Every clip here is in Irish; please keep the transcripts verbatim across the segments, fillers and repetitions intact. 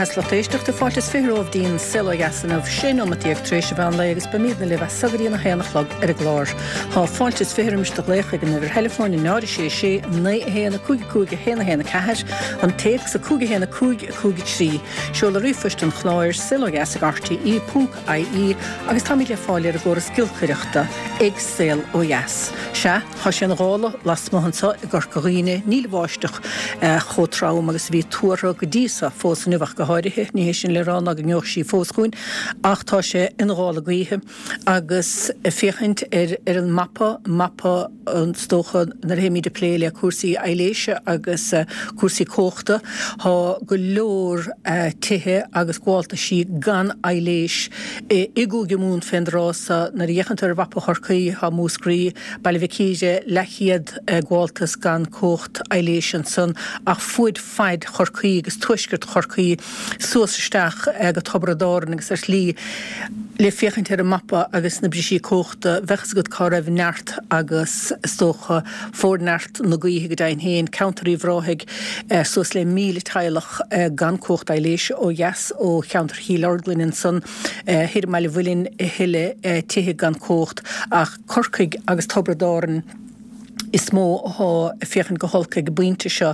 Beatha is lucht éisteachta fáilte is fiche romhaibh dtí'n Saol Ó Dheas inniu, sé nóimeat déag tar éis an mheán lae agus beimidne libh as so go dtí an a haon a chlog ar an gclár. Tá fáilte is fiche roimis do ghlaoch ag an uimhir theileafóin a náid a sé sé naoi a haon a cúig a cúig a haon a haon a ceathair, an téacs a cúig a haon a cúig a cúig a trí, seoladh ríomhphoist an chláir, saolodheas ag rte ponc ie agus táimid le fáil ar an gcóras giolcaireachta ag Saol Ó Dheas. Sea, tá sé ina ghála lasmuigh anseo i gCorca Dhuibhne, níl an bháisteach chomh trom agus a bhí tuartha go dtí so, fós inniu ach go háirithe, ní hé sin le rá ná go ngeobhaidh sí fós chugainn, ach tá sé ina ghála gaoithe agus féachaint ar ar an mapa, mapa is dócha nuair a théimid ag plé le cúrsaí aibhléise agus cúrsaí cumhachta, tá go leor tithe agus gabháltaisí gan aibhléis i gCúige Mumhan fén dtráth so. Nuair a fhéachann tú ar mhapa Chorcaí, tá Múscraí, Baile Mhic Íre, leathchéad gabháltas gan cumhacht aibhléise ansan, ach fuaid faid Chorcaí agus tuaisceart Chorcaí suas isteach go Tiobraid Árann agus ar shlí le féachaint ar an mapa agus na brisí cumhachta, bheadh fhios agat cá raibh neart agus is dócha forneart na gaoithe go deimhin féin, ceantar Uíbh Ráthaigh, suas le míle teaghlach gan cumhacht aibhléise ó dheas ó cheantar Chill Orglan ansan, thoir i mBaile Mhuilinn a thuilleadh tithe gan cumhacht ach Corcaigh agus Tiobraid Árann is mó athá ag féachaint go holc ag an bpointe seo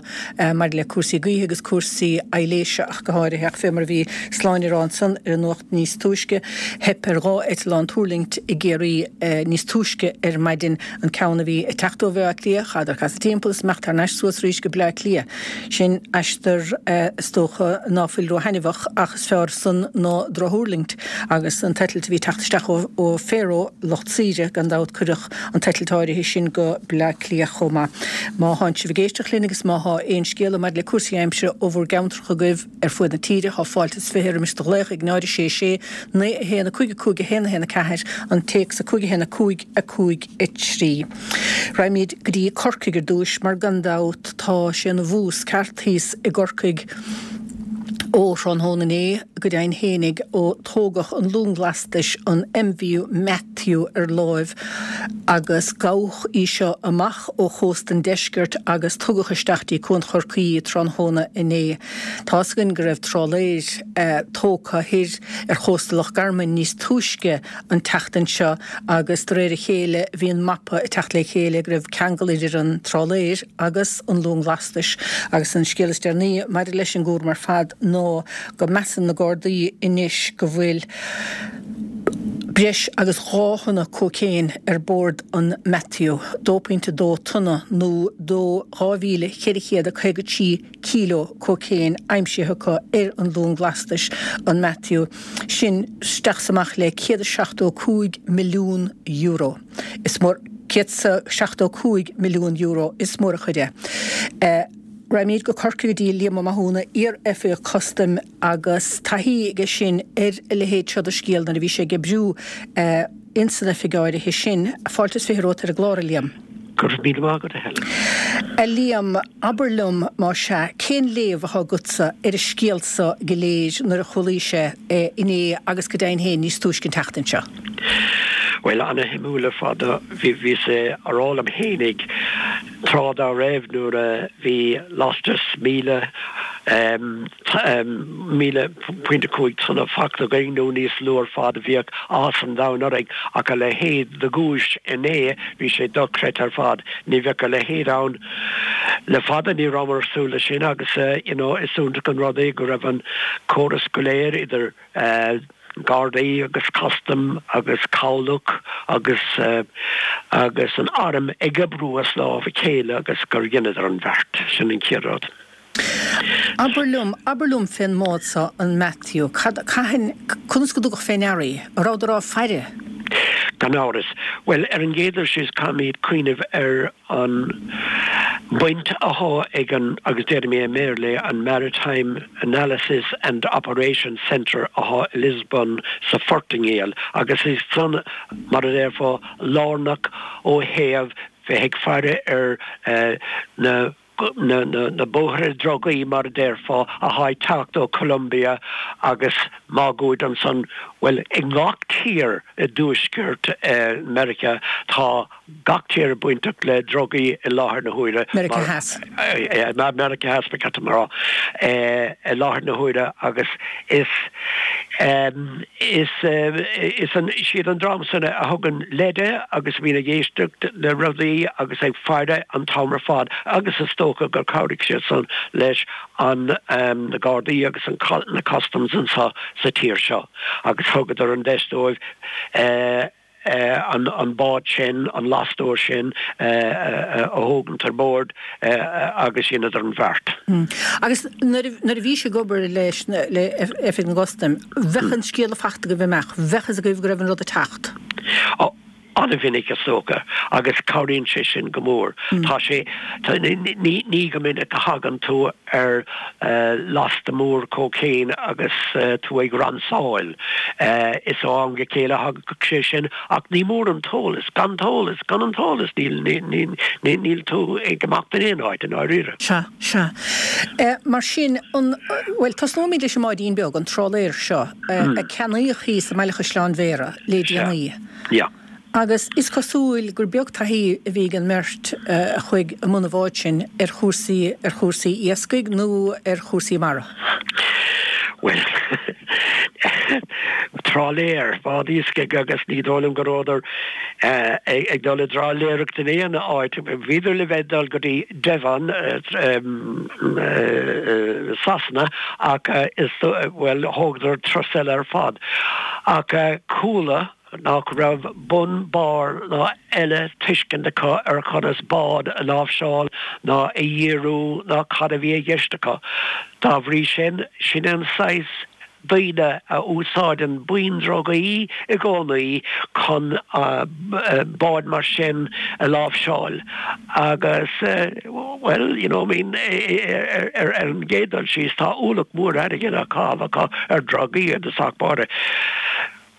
maidir le cúrsaí gaoithe agus cúrsaí aibhléise ach go háirithe. Ach fé mar a bhí Sláine ag rá ansan ar an nuacht níos túisce, theip ar dhá eitleán tuirlingt i gCiarraí níos túisce ar maidin, an ceann a bhí ag teacht ó Bhaile Átha Cliath, chaitheadar casadh timpeall is imeacht thar n-ais suas arís go Baile Átha Cliath. Sin aistear is dócha ná fuil róthaitneamhach ach is fearr san ná drochthuirlingt agus an t-eitilt a bhí ag teacht isteach ó Faroe, lucht saoire gan dabht, cuireadh an t-eitilt áirithe sin go Bleá Cliath chomh maith. Má thánn sibh ag éisteacht linn agus má thá aon scéala maidir le cúrsaí aimsire ó bhur gceantracha agaibh ar fuaid na tíre, thá fáilte is fiche roimis do ghlaoch ag náid a sé sé naoi a haon a cúig a cúig a haon a haon a ceathair, an téacs a cúig a haon a cúig a cúig a trí. Raghaimid go dtí Corcaigh ar dtúis mar gan dabht tá sé ina bhús ceart thíos i gCorcaigh ó thráthnóna inné go deimhin fhéinig ó tógadh an long lastais an MV Matthew ar láimh agus gabhadh í seo amach ó chósta an deiscirt agus tugadh isteach dtí Cuan Chorcaí í tráthnóna inné. Tá's againn go raibh trálaeir tógtha thoir ar chósta Loch Garman níos túisce an tseachtain seo agus de réir a chéile bhí an mapa ag teacht le chéile go raibh ceangal idir an trálaeir agus an long lastais agus an scéal is deireanaí maidir leis an gcúram ar fad ná go measann na Gardaí anois go bhfuil breis agus dhá thonna cócaon ar bord an Matthew, dó pointe dó tonna nó dó dhá mhíle ceithre chéad a caoga trí kíló cócaon aimsithe acu ar an long lastais an Matthew, sin isteach 's amach le céad is seachtó cúig milliún euro. Is mór céad 's seachtó cúig milliún euro, is mór an chuid é. Raghaimid go Corcaigh go dtí Liam Ó Mathúna, iar-oifigeach custaim agus taithí aige sin ar a leithéid seo de scéal nuair a bhí sé ag oibriú ins an oifig áirithe sin. Fáilte is fiche romhat ar an gclár, a Liam. Go raibh míle maith agat, a Helen. A Liam, abair liom, más ea, cén léamh athá agatsa ar an scéal so go léir nuair a chualaís é inné agus go deimhin féin níos túisce an tseachtain seo? Bhuel, ana-shuimiúil ar fad. Bhíos a rá liom fhéinig tráth dá raibh nuair a bhí lastas míle, míle pointe cúig tonna fachta againn nó níos lú ar fad, bhíodh áthas an domhain orainn ach a leithéid de ghuais inné, bhí sé dochreidte ar fad. Ní bheadh a leithéid ann le fada, ní rabhamar ag súil leis sin agus you know is iontach an rud é go raibh an córas go léir idir Gardaí agus Custom agus Cabhlach agus agus an Arm ag oibriú as lámh a chéile agus gur dheineadar an bheart. Sin an chéad rud. Abair liom, abair liom fén mbád so, an Matthew, cad, cathain, conas go dtugadh fé ndeara í? An rabhadar á faire? Gan amhras. Bhuel, ar an gcéad dul síos caithfimid cuimhneamh ar an mbaint athá ag an, agus déarfaidh mé i mBéarla é, an Maritime Analysis and Operations Centre athá i Lisbon sa Phortaingéil agus is san, mar a déarfá, lárnach ó thaobh bheith ag faire ar na na, na, na bóithre drugaí mar a déarfá atá ag teacht ó Colombia agus máguaird ansan, bhuel, i ngach tír i dtuaisceart eh, Meiriceá tá gach tír bainteach le drugaí i láthair na huaire. Meiriceá Theas. Eh, eh, Meiriceá Theas ba cheart dom a rá eh, i láthair na huaire agus is um, is uh, is an siad an dream san a thugann leide agus bhíonn ag éisteacht le rudaí agus ag faire an t-am ar fad agus is dócha gur chabhraigh siad san leis an um, na Gardaí agus an na customs anseo sa tír seo agus thugadar an deis dóibh uh, uh, an, an bád sin an lastóir sin uh, uh, a thógaint ar bord uh, agus dheineadar an bheart. Mm. Agus nuair a bhí sibh ag obair leis le Oifig na gCustam, bheadh an scéala faighte agaibh amach, bheadh fhios agaibh go raibh an rud ag teacht. Oh, an-mhinic is dócha agus cabhraíonn sé sin go mór. Mm. Tá sé ní ní go minic a thagann tú ar uh, lasta mór cocaine agus uh, tú ag ransáil. Uh, is ó am go chéile thagadh sé sin ach ní mór an t-eolas, gan t-eolas, gan an t-eolas níl níl tú ag imeacht in aon áit in áirithe. Sea sea. Uh, mar sin an well tosnóimid leis an mbáidín beag an trálaer seo uh, mm. a ceannaíodh thíos i mBaile Chaisleáin Bhéarra le déanaí. Ja. Agus is cosúil gur beag taithí a bhí ag an mbeirt a chuaigh i mbun an bháid sin ar chúrsaí ar chúrsaí iascaigh nó ar chúrsaí mara. Well trálaer bád iascaigh agus ní dóigh liom go rabhadar uh, ag dul i dtrálaeracht in aon áit bhíodar le bheith dul go dtí Devon uh, um, uh, Sasana ach uh, is well thógadar turas eile ar fad ach uh, chuala nach raibh bun barr ná eile tuiscint acu ar conas bád a láimhseáil ná a dhíriú ná cad a bhí i gceist acu. Dá bhrí sin sin an saghas daoine a úsáideann buíon drugaí i gcónaí chun uh, bád mar sin a láimhseáil agus uh, well you know I mean ar ar an gcéad dul síos tá ualach mór airgid á chaitheamh ar drugaí agus ach báire.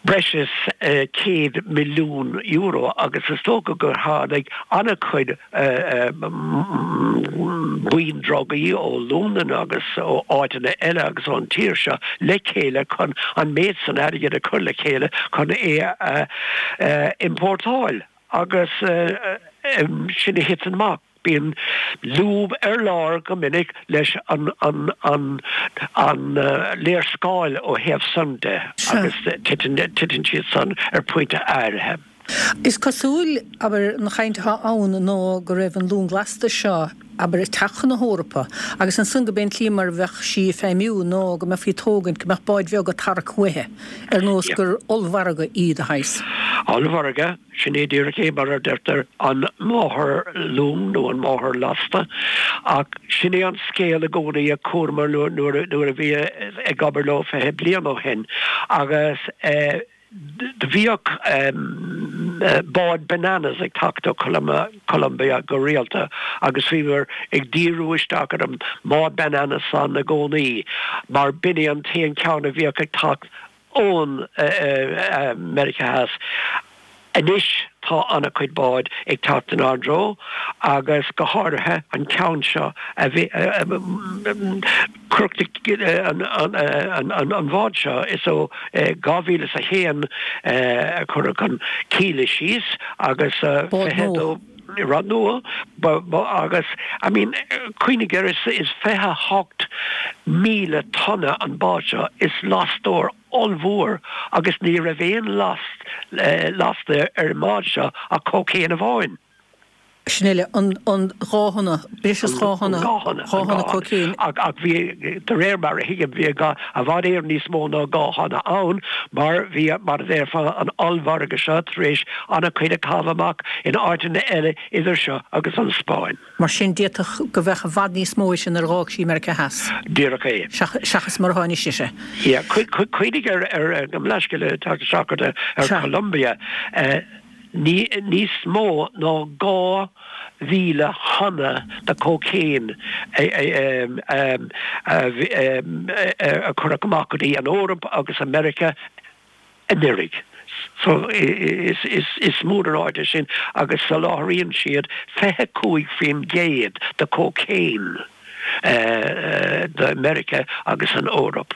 breis is uh, céad milliún euro agus is dócha gur tháinig an-chuid uh, buíon drugaí ó Londain agus ó áiteanna eile agus ón tír seo le chéile chun an méid san airgead a chur le chéile chun é uh, uh, importáil agus uh, um, sin a thiteann amach. Bíonn lúb ar lár go minic leis an an an an uh, léarscáil ó thaobh san de agus titeann siad san ar pointe áirithe. Is cosúil abair an chaint atá ann nó go raibh an long lasta seo abair ag teacht chun na hEorpa agus ansan go b'in slí mar bheadh sí feidhmiú nó go mbeifí ag tógaint go mbeadh báid bheaga ag tarrac uaithi ar nós gur ollmhargadh í de shaghas. Ollmhargadh sin é díreach é mar a deirtear an máthairlong nó an máthairlasta ach sin é an scéal i gcónaí a chualamar nuair a bhí ag obair leo fiche bliain ó shin agus eh, do bhíodh um, bád bananas ag teacht ó Colombia go rialta agus bhíomar ag díriú isteach ar an mbád bananas san i gcónaí mar b'in é an t-aon cheann a bhíodh ag teacht ón uh, uh, Meiriceá Theas. Anois tá an-chuid bád ag teacht in ár dtreo agus go háirithe an ceann seo a bhí an bhád seo is ó dhá mhíle is a haon a cuireadh an cíle síos agus fiche dó rud nua agus I mean cuimhnigh air is is fiche hocht míle tonna an bád seo is lastóir ollmhór agus ní raibh aon last lasta ar an mbád seo ach cocaine amháin. Sin uile an an dhá thonna breis is dhá thonna dhá thonna cocaine. Ach ach bhí de réir mar a thuigim bhí i bhfad Éireann níos mó ná dhá thonna ann mar bhí mar a déarfá an ollmhargadh seo tar éis an-chuid a chaitheamh amach in áiteanna eile idir seo agus an Spáinn. Mar sin d'fhéadfadh go bheadh i bhfad níos mó sin nuair a d'fhág sí Meiriceá Theas. Díreach é. Seachas mar a tháinig sise. Yeah, cuimhnigh ar ar go leisce tá seachar ar Colombia. Uh, níos mó ná dhá mhíle thonna de cocaine a cuireadh amach go dtí an Eoraip agus America anuraidh. So is, is, is mór an áit é sin agus soláthraíonn siad fiche cúig faoin gcéad de cocaine do Meiriceá agus an Eoraip.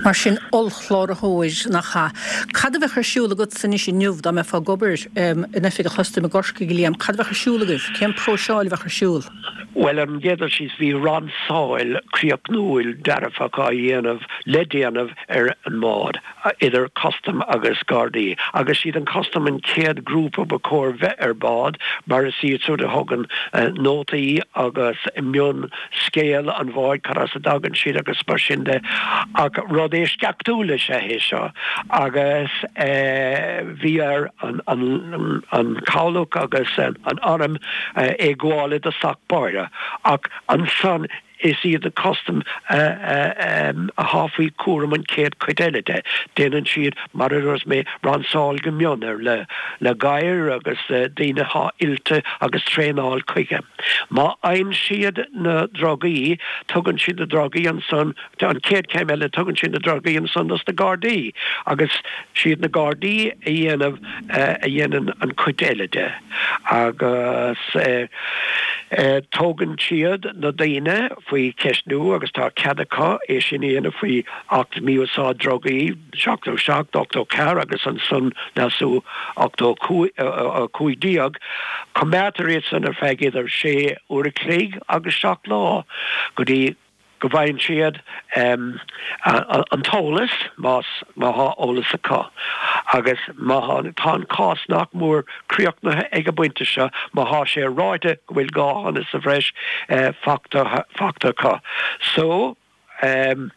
Mar sin ollchláraitheoir nach ea? Cad a bheadh ar siúl agatsa anois inniu dá mbeifeá ag obair in oifig an chustaim i gCorcaigh, a Liam? Cad a bheadh ar siúl agaibh? Cén próiseáil a bheadh ar siúl? Bhuel, ar an gcéad dul síos, bhí ransáil críochnúil dearfach á dhéanamh le déanamh ar an mbád, idir custam agus Gardaí. Agus siad an custam an chéad grúpa ba chóir bheith ar bád mar is iad siúd a thugann nótaí agus mion scéal an bháid, cad as a dtagann siad agus mar sin de. Ach rud eisceachtúil is ea é seo agus bhí ar an chabhlach agus an arm é gabháil i dtosach báire. Ach ansan is iad na custaim athá faoi chúram an chéad chuid eile de. Déanann siad, mar a dúirt mé, ransáil go mion air le le gadhair agus daoine athá oilte agus traenáil chuige. Má fhaigheann siad na drugaí, tugann siad na drugaí ansan, an chéad chéim eile, tugann siad na drugaí ansan dos na Gardaí agus siad na Gardaí a dhéanamh a dhéanann an chuid eile de agus tógann siad na daoine faoi cheistniú agus tá cead acu é sin a dhéanamh faoi Acht Mí-Úsáid Drugaí seachtó seacht, ochtó ceathair agus ansan leasú ochtó cúig déag. Coimeádtar iad san ar feadh idir sé uair a chloig agus seacht lá go dtí go bhfaigheann siad an t-eolas, más, má thá eolas acu. Agus má thá, tá an cás nach mór críochnaithe ag an bpointe seo, má thá sé ráite go bhfuil dhá thonna sa bhreis fachta, fachta acu. So, an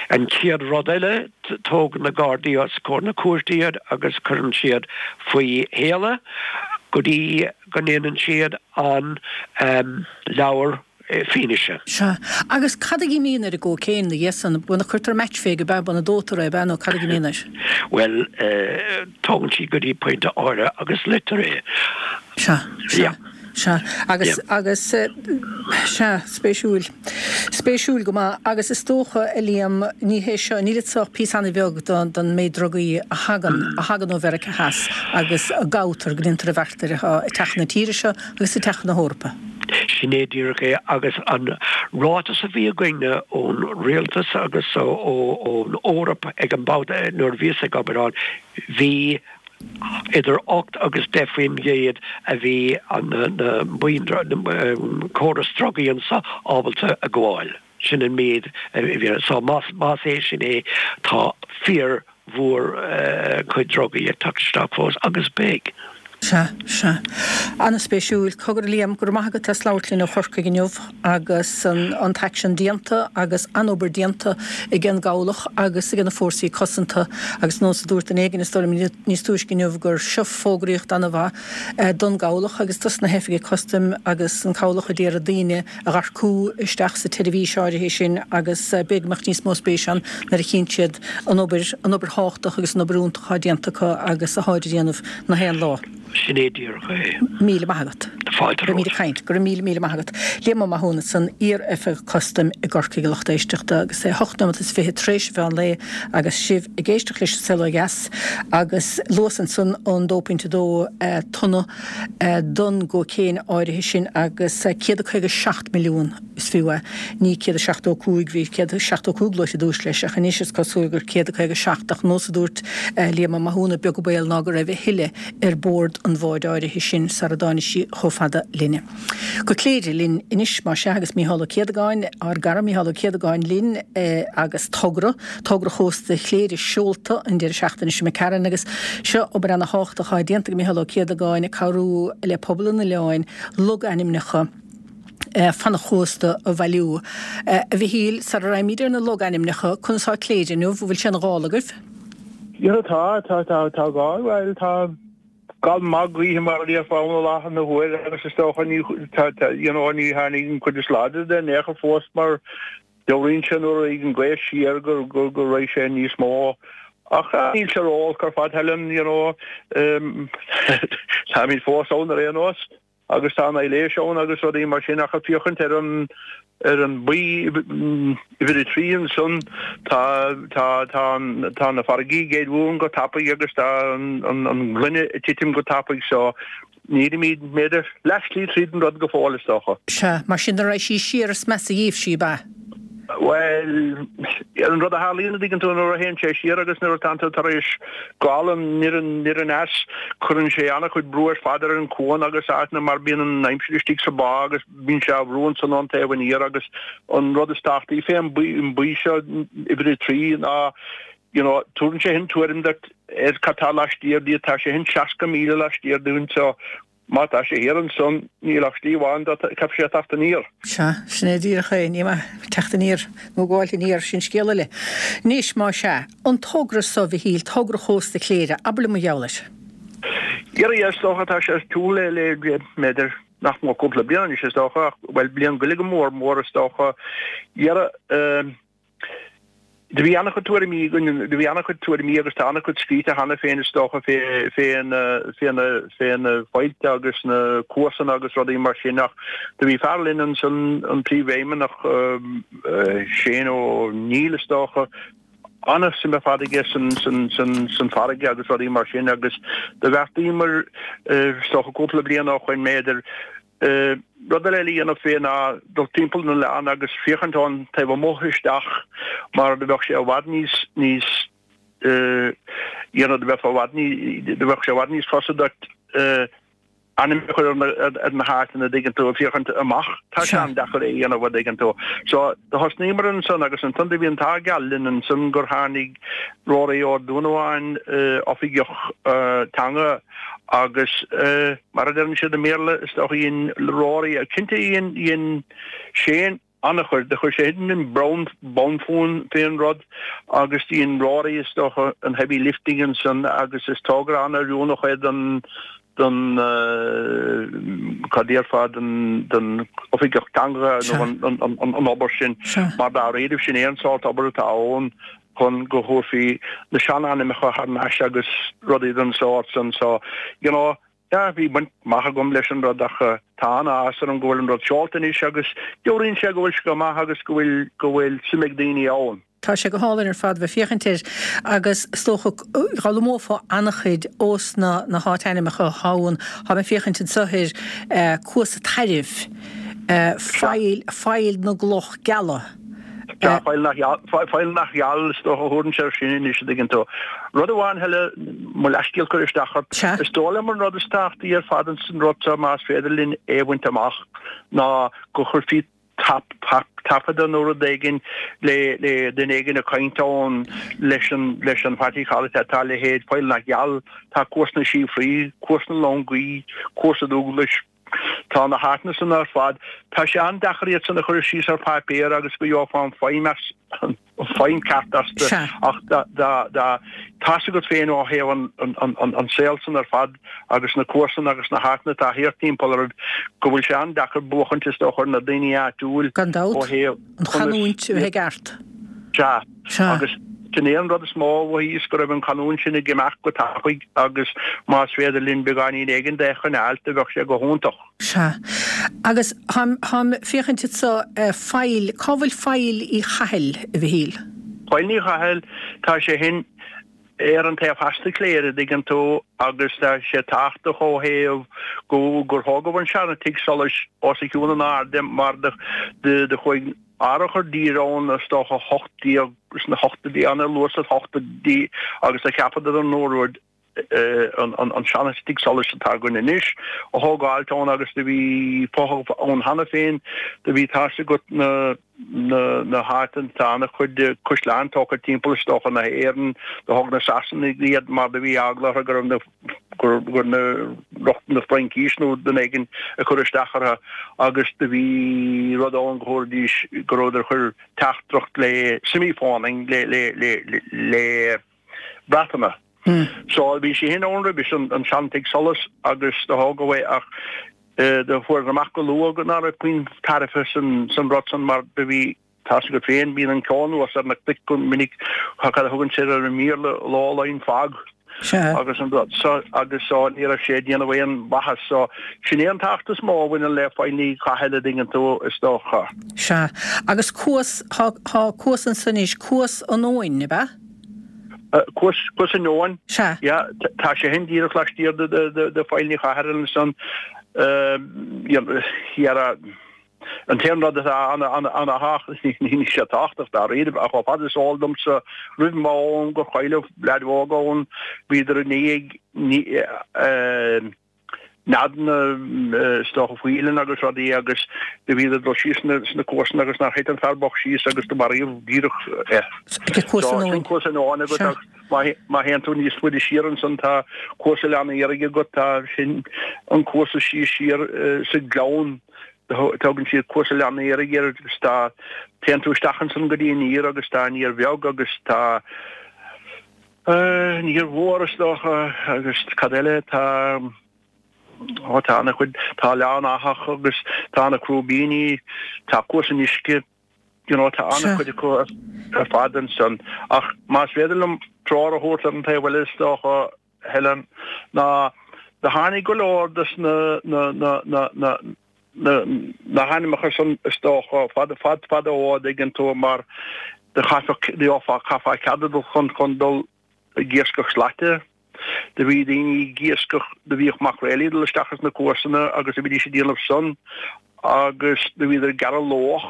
chéad rud eile, tógann na Gardaí os comhair na cúirte iad agus cuireann siad faoi shéala go dtí go ndéanann siad an leabhar fianaise. Sea. Agus cad a imíonn ar an gcócaon ina dhiaidh san? Bhuel, cuirtear match fé go bea, bhuel an dóitear é, ab ea, nó cad a imíonn air? Bhuel, tógann siad go dtí pointe áirithe agus loitear é. Sea, sea, sea. Agus, agus, sea, spéisiúil. Spéisiúil go maith. Agus is dócha, a Liam, ní hé seo, níl anso ach píosa an-bheag don méid drugaí a thagann, a thagann ó Mheiriceá Theas agus a gabhtar, go ndéantar a bheart air atá ag teacht chun na tíre seo agus ag teacht chun na hEorpa. Sin é díreach é agus an ráiteas a bhí againne ón rialtas agus ón Eoraip ag an mbabhta nuair a bhíos ag obair ann, bhí idir ocht agus deich faoin gcéad a bhí an córas drugaí anso ábalta a ghabháil. Sin an méid a bhí. So más é sin é, tá fíor mhór cuid drugaí ag teacht isteach fós agus beidh. Sea, sea. An-spéisiúil. Cogar a Liam, go raibh maith agat as labhairt linn ó Chorcaigh inniu agus an t-aicsean déanta agus an-obair déanta ag an gCabhlach agus ag na Fórsaí Cosanta agus nós a dúirt duine éigin is dóigh liom níos túisce inniu gur seo fógraíocht an-mhaith don gCabhlach agus dos na hoifigigh custaim agus an Cabhlach a d'iarraidh daoine a dh'earcú isteach sa tseirbhís áirithe sin agus b'fhéidir go mbeadh níos mó spéise ann nuair a chíonn siad an obair, an obair thábhachtach agus an obair fhiúntach atá déanta acu agus atáid a dhéanamh na haon lá. Sin é díreach é. Míle maith agat. Fáilte Beimid romhat. ag caint. Go raibh míle míle maith agat. Liam Ó Mathúna ansan, iar-oifigeach custaim i gCorcaigh, a lucht éisteachta, agus é a hocht nóiméad is fiche tar éis an mheán lae agus sibh ag éisteacht leis An Saol Ó Dheas agus luas ansan an dó pointe dó tonna don gcócaon áirithe sin agus céad a caoga seacht milliún is fiú é. Ní céad a seachtó cúig, bhí céad a seachtó cúig luaite i dtús leis ach anois is cosúil gur céad a caoga seacht ach nós a dúirt Liam Ó Mathúna, beag an baol ná go raibh a thuilleadh ar bord an bháid áirithe sin sara dtáinig sí chomh fada linne. Go Cléire linn anois, más ea, agus Mícheál Ó Céadagáin, ár gcara Mícheál Ó Céadagáin linn agus togra, togra Chósta Chléire seolta an deireadh seachtaine seo imigh tharainn agus seo obair ana-thábhachtach atá déanta ag Mícheál Ó Céadagáin ag cabhrú le pobal an oileáin logainmneacha fan an chósta a bhailiú. A Mhichíl, sara raghaimid ar na logainmneacha, conas tá Cléire inniu? An bhfuil sé ina ghála agaibh? Yeah, tá, tá, tá, tá gá, bhuel, tá gal maith gaoithe mar a déarfá ann i láthair na huaire agus is dócha ní, tá, tá, you know, ní tháinig an chuid is láidre de in aon chor fós mar dealraíonn sé nuair a raghaidh an ghaoth siar gur, gur, go raghaidh sé níos mó. Ach níl sé ró-olc ar fad, Helen, you know, táimid fós ann ar aon nós. agus tá an aibhléis ann agus rudaí mar sin ach ag féachaint ar an ar an baoi uimhir a trí ansan tá tá tá tá na farraigí ag éirí uainn go tapaidh agus tá an an an gloine ag titim go tapaidh so nílimid b'fhéidir leathshlí tríd an rud go fóill is dócha. Sea, mar sin nuair a raghaidh sí siar is measa dhíobh sí, ab ea? Bhuel, an rud a tharlaíonn an dtuigeann tú nuair a théann sé siar agus nuair atánn tú tar éis gabháil aniar aniar aneas, cuireann sé an-chuid brú ar fad ar an cuan agus áiteanna mar bíonn an aimsir istigh sa bhá agus bíonn sé á bhrú ansan ón taobh aniar agus an rud is tábhachtaí fé an baoi seo uimhir a trí ná you know, tugann sé sin tuairim duit ar cad tá laistiar díot, tá sé sin seasca míle laistiar dúinn so Má tá sé thiar ansan, níl ach slí amháin dó, caithfidh sé teacht aniar. Sea, sin é díreach é, ní maith teacht aniar nó gabháil aniar, sin scéal eile. Anois, má sea, an togra so, a Mhichíl, togra Chósta Chléire, abair liom mar gheall air. Dhera, is dócha, tá sé ar siúl le, le, b'fhéidir, nach mór cúpla bliain anois, is dócha, ach, bhuel, bliain go leith go mór mór, is dócha. Dhera, eh, Do bhí an-chuid tuairimí againn, do bhí an-chuid tuairimí agus tá an-chuid scríte cheana féin is dócha fé, fé na, fé na, fé na faillte agus na cuasanna agus rudaí mar sin ach do bhí fear linn ansan, an príomhfheidhmeannach, Shane Ó Neill is dócha, an-suim ar fad aige san, san, san, san farraige agus rudaí mar sin agus do bheartaíomar, is dócha cúpla bliain ó shoin b'fhéidir, Rud eile le dhéanamh fé ná dul timpeall an oileáin agus féachaint ón taobh amuigh isteach mar do bheadh sé i bhfad níos níos you know do bheadh i bhfad ní do bheadh sé i bhfad níos fusa duit ainm a chur ar na háiteanna an dtuigeann tú ag féachaint amach. Tá sé an-deacair é a dhéanamh an dtuigeann tú. So do thosnaíomar ansan agus ansan do bhí an t-ádh geal linn ansan gur tháinig Rory Ó Dúnabháin, oifigeach teanga Agus mar a deireann siad i mBéarla, is dócha, dhein Rory, cinnte dhein, dhein Shane an-chuid, do chuir sé an bonn, bonn fúinn fén rud agus dhein Rory, is dócha, an heavy lifting ansan agus is togra an-oiriúnach é don, don, cad déarfá, don, don oifigeach teanga nó an, an, an, an obair sin mar dáiríribh sin é an sórt obair atá ann. chun go thabharfaí na seanainmneacha thar n-ais agus rudaí den sórt san. So, you know, yeah, bhí baint maith agam leis an rud ach tá an-áthas orm go bhfuil an rud seolta anois agus dealraíonn sé go bhfuil sé go maith agus go bhfuil, go bhfuil suim ag daoine ann. Tá sé go hálainn ar fad bheith féachaint air agus is dócha go bhfoghlaimeofá an-chuid ós na na háit-ainmneacha athá ann. Tá mé ag féachaint anso ar Cuas a' Tairbh, Faill, Faill na gCloch Geala. Sea, Faill nach Faill nach Geal, is dócha a thabharann sé air sin anois, an dtuigeann tú. Rud amháin eile, mo leathscéal cur isteach ort, is dóigh liom an rud is tábhachtaí ar fad ins an rud seo, más féidir linn é a bhaint amach, ná go chuirfí taifeadadh nó rud éigin le le duine éigin ag caint ann leis an leis an what do you call it, tá a leithéid Faill nach Geal, tá Cuas na Síofraí, Cuas na Longaí, Cuas a' Dúglais, Tá na háiteanna san ar fad. Tá sé an-deacair iad san a chur síos ar pháipéar agus go gheofá an feidhm as, an feidhm ceart astu ach dá, dá, dá, tá's agat féin ó thaobh an, an, an, an saol san ar fad agus na cuasanna agus na háiteanna atá thiar timpeall orthu go bhfuil sé an-deacair buachaint is dócha ar na daoine áitiúil Gan dabht, ó thaobh an chanúint a bheith i gceart. Sea. Sea. Agus sin é an rud is mó a mhothaíos, go raibh an chanúint sin ag imeacht go tapaidh agus más féidir linn beagáinín éigin de a choinneáilt, do bheadh sé go hiontach. Sea. Agus táim, táim féachaint anso, Faill, cá bhfuil Faill Uí Chathail, a Mhichíl? Faill Uí Chathail, tá sé sin ar an taobh theas de Chléire, a dtuigeann tú, agus tá sé tábhachtach ó thaobh go, gur thógadh an seana tigh solais os a chionn in airde mar do, do, do chuaigh árthach i dtír ann is dócha hocht déag sna hochtóidí, an-luath sna hochtóidí agus do cheapadar an rud an seana-tigh solais atá againn anois a thógáilt ann agus do bhí fothach ann cheana féin, do bhí tá's agat na na háiteanna tá an-chuid caisleán tógtha timpeall is dócha na hÉireann, do thóg na Sasanaigh iad mar do bhí eagla orthu go raibh na gur gur na lucht na Fraincise nó duine éigin ag cur isteach orthu agus do bhí rud ann go thabharfaidís go rabhadar ag cur teachtaireacht le semi-phoning le le le le Breataine. So bhí sé sin ann roimhe sin an seantigh solais agus do thógadh é ach do fuaireadar amach go luath go ná raibh puinn tairbhe san san rud san mar do bhí Tá's agat féin, bíonn an ceo anuas ar na cnoic go minic, cad a thugann siad ar an mBéarla, low lying fog. Agus an rud so agus so ní raibh sé ag déanamh aon mhaitheas so sin é an tábhacht is mó a bhaineann le Faill Ní Chathail a dtuigeann tú is dócha. Sea. Agus cuas, thá, thá cuas ansan anois, Cuas an Eoin, ab ea? Cuas, Cuas an Eoin. Sea. Yeah, tá sé sin díreach laistiar de, de, de, de Faill Ní Chathail ansan. Dhera, An t-aon rud atá ana-thábhachtach, níl sé tábhachtach dáiríre, ach chomh fada is eol domsa, roimh m'am gur cailleadh leaid óg ann, bhíodar i ndiaidh neadanna is dócha faoileán agus rudaí agus do bhíodar ag dul síos sna cuasanna agus nár thit an fear bocht síos agus do maraíodh díreach é. Cuas an Eoin. Cuas an Eoin agat agus má théann tú níos faide siar ansan tá Cuas Oileán Iarraigh agat, tá sin an cuas is sia siar sa ghleann. Tugann siad Cuas Oileán Iarraigh air agus tá, téann tú isteach ansan go dtí an Iar agus tá an Iar Bheag agus tá an Iar Mhór is dócha agus cad eile, tá, ó tá ana chuid, tá Oileán Athach agus tá na Crúibíní, tá Cuas an Uisce, you know, tá ana chuid acu ar fad ansan. Ach más féidir liom treoir a thabhairt ar an taobh eile is dócha, Helen, ná do tháinig go leor des na, na, na, na, na, na, na hainmneacha san is dócha fad, fad, fada ó a dtuigeann tú mar do chaithfeadh, gheofá, chaithfeá cead a dul chun, chun dul ag iascach slaite. Do bhí daoine ag iascach, do bhíodh maicréilí ag dul isteach ins na cuasanna agus do bhídís ag déanamh san agus do bhíodar ag gearradh luach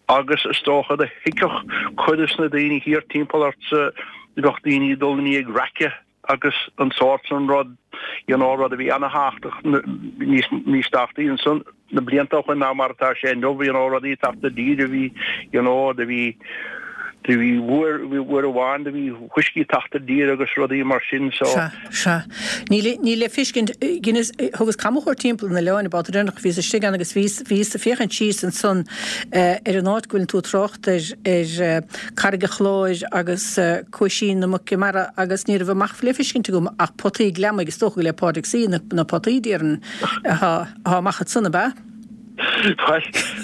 agus is dócha do thuigfeadh cuid des na daoine thiar timpeall ortsa, do bheadh daoine ag dul i ndiaidh raice agus an sórt san rud, you know, rud a bhí ana-thábhachtach, níos, níos tábhachtaí ansan na blianta ó shoin ná mar atá sé inniu, you know, rudaí ag teacht i dtír a bhí, you know, do bhí, do bhí uair, uair amháin do bhí fuiscí ag teacht i dtír agus rudaí mar sin, so. Sea, sea. Níl, níl le feiscint, dheineas, thugas camchuairt timpeall an oileáin an babhta deireanach a bhíos istigh ann agus bhíos, bhíos ag féachaint síos ansan ar an áit go bhfuileann tú ag trácht air, ar Carraig an Chláir agus Cuaisín na Muice Mara agus ní raibh amach le feiscint agam ach potaí gliomaigh, is dócha go le Pádraig C. na, na potaí déarfainn atá, atá amach ansan, ab ea? Bhuel,